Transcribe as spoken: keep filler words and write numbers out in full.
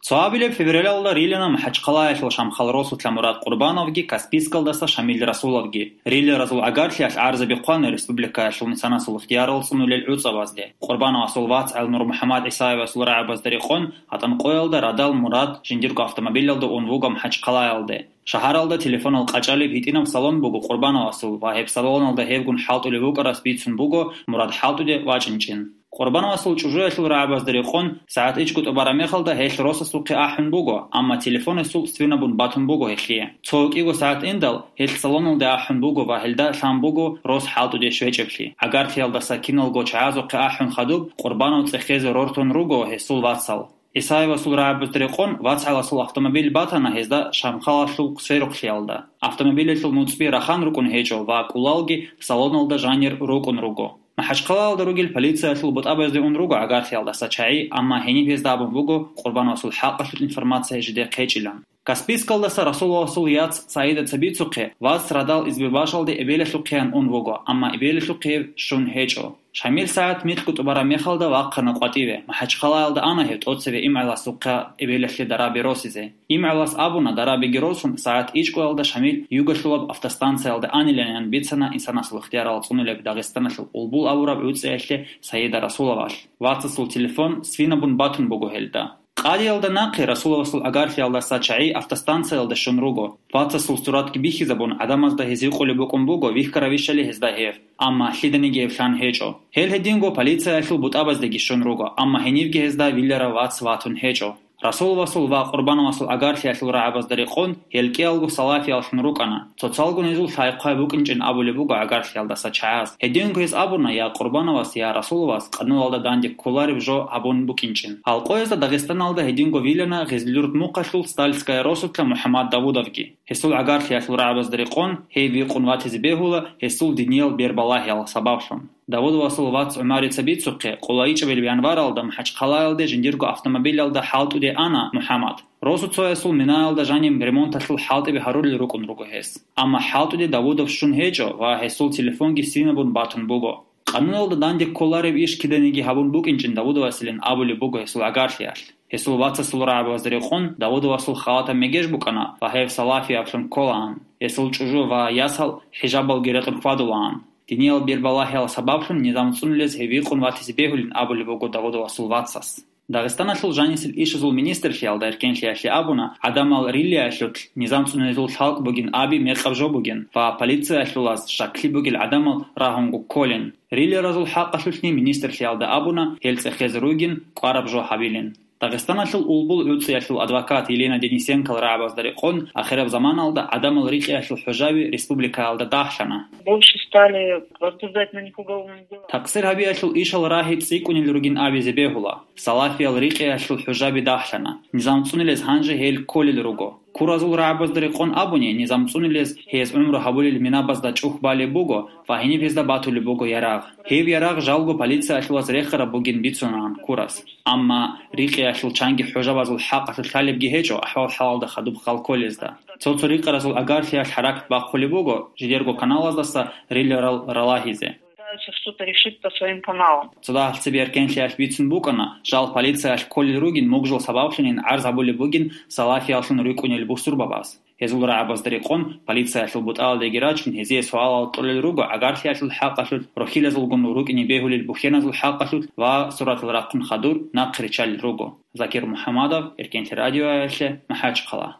Цо абилеб февралалда рилана МахӀачхъалаялъул Шамхал Росулъа Мурад Къурбановги Каспийскалдаса Шамил Расуловги. Риларазул гӀагарлъиялъ гӀарзаби хъвана республикаялъул инсанасул ихтиярал цӀунулел гӀуцӀабазде. Къурбановасул вацгӀал Нурмухьаммад ГӀисаевасул рагӀабазда рекъон, гьатӀан къоялда радал Мурад жиндирго автомобилалда ун вуго МахӀачхъалаялде. Шагьаралда телефонал къачӀалеб гьитӀинаб салон буго Къурбановасул ва гьеб салоналда гьевгун хӀалтӀулев вукӀарас бицун буго Мурад хӀалтӀуде вачӀинчӀин. Къурбановасул чӀужуялъул рагӀабазда рекъон, сагӀат ичӀго тӀубараб мехалда гьелъ росасухъе ахӀун буго, амма телефон гьесул свинабун батун буго гьелъие. Цо кӀиго сагӀат индал, гьелъ салоналде ахӀун буго ва гьелда лъан буго рос хӀалтӀуде щвечӀеблъи. ГӀагарлъиялдаса киналго чагӀазухъе ахӀун хадуб, Къурбанов цӀехезе рортун руго гьесул вацал. ГӀисаевасул рагӀабазда рекъон, вацгӀаласул автомобиль батана гьезда Шамхалалъул сверухълъиялда. Автомобилалъул нуцӀби рахан рукӀун гьечӀо ва кӀулалги салоналда жанир рукӀун руго. МахӀачхъалаялда ругел полициялъул бутӀабазде ун руго гӀагарлъиялдаса чагӀи, амма гьениб гьезда абун буго Къурбановасул хӀакъалъулъ информация жидехъ гьечӀилан. Каспийскалдаса Расуловасул яц Саида цебицухъе, вац радал Избербашалде эбелалъухъеян ун вуго, амма эбелалъухъе щун гьечӀо. Шамил сагӀат микьго тӀубараб мехалда вахъана къватӀиве, МахӀачхъалаялда ана гьев тӀоцеве имгӀаласухъа эбелалъе дараби росизе. ИмгӀалас абуна, дарабиги росун, сагӀат ичӀгоялда Шамил Югалъулаб автостанциялда анилан, ян бицана инсанасул ихтиярал цӀунулеб Дагъистаналъул Улбул абураб гӀуцӀиялъе Саида Расуловалъ. Вацасул телефон свинабун батун буго гьелда. Къадиялда нахъе Расуловасул гӀагарлъиялдаса чагӀи автостанциялда щун руго. Вацасул суратги бихьизабун, гӀадамазда гьез гьикъулеб букӀун буго вихьаравищали гьезда гьев, амма лъиданиги гьев лъан гьечӀо. Гьел гьединго полициялъул бутӀабаздеги щун руго, амма гьенибги гьезда виларав вац ватун гьечӀо. Расуловасул ва Къурбановасул гӀагарлъиялъул рагӀабазда рекъон, гьел кӀиялго салафияллъун рукӀана. Цоцалгун гьезул лъай-хъвай букӀинчӀин абулеб буго гӀагарлъиялдаса чагӀаз. Гьединго гьез абуна, я Къурбановас, я Расуловас къануналда данде кколареб жо гьабун букӀинчӀин. Гьал къоязда Дагъистаналда гьединго вилана Гъизлюрт мухъалъул Стальская росулъа МухӀаммад Давудовги. Гьесул гӀагарлъиялъул рагӀабазда рекъон, гьев вихъун ватизе бегьула гьесул диниял бербалагьиял сабаблъун. Давудовасул вац ГӀумарица бицухъе, къулайчӀебил январалда МахӀачхъалаялде жиндирго автомобилалда хӀалтӀуде ана МухӀаммад. Росу цоясул минаялда жаниб ремонталъул хӀалтӀиби гьарулел рукӀун руго гьес. Амма хӀалтӀуде Давудов щун гьечӀо ва гьесул телефонги свинабун батун буго. Къануналда данде кколареб иш киданиги гьабун букӀинчӀин Давудовасилин абулеб буго гьесул гӀагарлъиялъ. Гьесул вацасул рагӀабазда рекъон Давудовасул халатаб мегеж букӀана ва гьев салафияблъун кколаан. Гьесул чӀужу ва ясал хӀижабалги рекъон хьвадулаан. Диниял бербалагьиял сабаблъун низам цӀунулез гьев вихъун ватизе бегьулин абулеб буго Давудовасул вацас. Дагъистаналъул жанисел ишазул министрлъиялда эркенлъиялъе абуна, гӀадамал рилиялъулъ низам цӀунезул лъалкӀ бугин аби мекъаб жо бугин ва полициялъулаз щаклъи бугел гӀадамал рагьунго кколин. Рилиразул хӀакъалъулъни министрлъиялда абуна, гьел цӀехезе ругин, кӀвараб жо гьабилин. Дагъистаналъул Улбул гӀуцӀиялъул адвокат Елена Денисенкол рагӀабазда рекъон, ахираб заманалда гӀадамал рикьиялъул хӀужаби республикаялда дагьлъана. Больше стали возбуждать на них уголовные дела. Такъсир гьабиялъул ишал рагьи цӀикӀкӀунел ругин абизе бегьула. Салафиял рикьиялъул хӀужаби дагьлъана. Низам цӀунилез гьанже гьел кколел руго. Куразул рагӀабазда рекъон абуни, низам цӀунилез гьез гӀумру гьабулел минабазда чӀухь балеб буго ва гьениб гьезда батулеб буго ярагъ. Гьеб ярагъ жалго полициялъулаз рехараб бугин бицунаан Курас. Амма рикьиялъул чанги хӀужабазул хӀакъалъулъ лъалебги гьечӀо ахӀвал-хӀалалда хадуб хал кколезда. Цо-цо рикьаразул агархӀиялъ хӀаракат бахъулеб буго жидерго каналаздаса риларал ралагьизе. Пытаются что-то решить по своим каналам. Цо дагьалцебе эркенлъиялъ бицун букӀана, жал полициялъ кколел ругин мугжал сабаблъунин гӀарз гьабулеб бугин салафияллъун рукӀунел бусурбабаз. Гьезул рагӀабазда рекъон, полициялъул бутӀаладеги рачун, гьезие суалал кьолел руго гӀагарлъиялъул хӀакъалъулъ, рохьилазулгун рукӀине бегьулел бухьеназул хӀакъалъулъ ва суратал рахъун хадур нахъ риччалел руго. Закир МухӀаммадов, Эркенлъи радиоялъе, МахӀачхъала.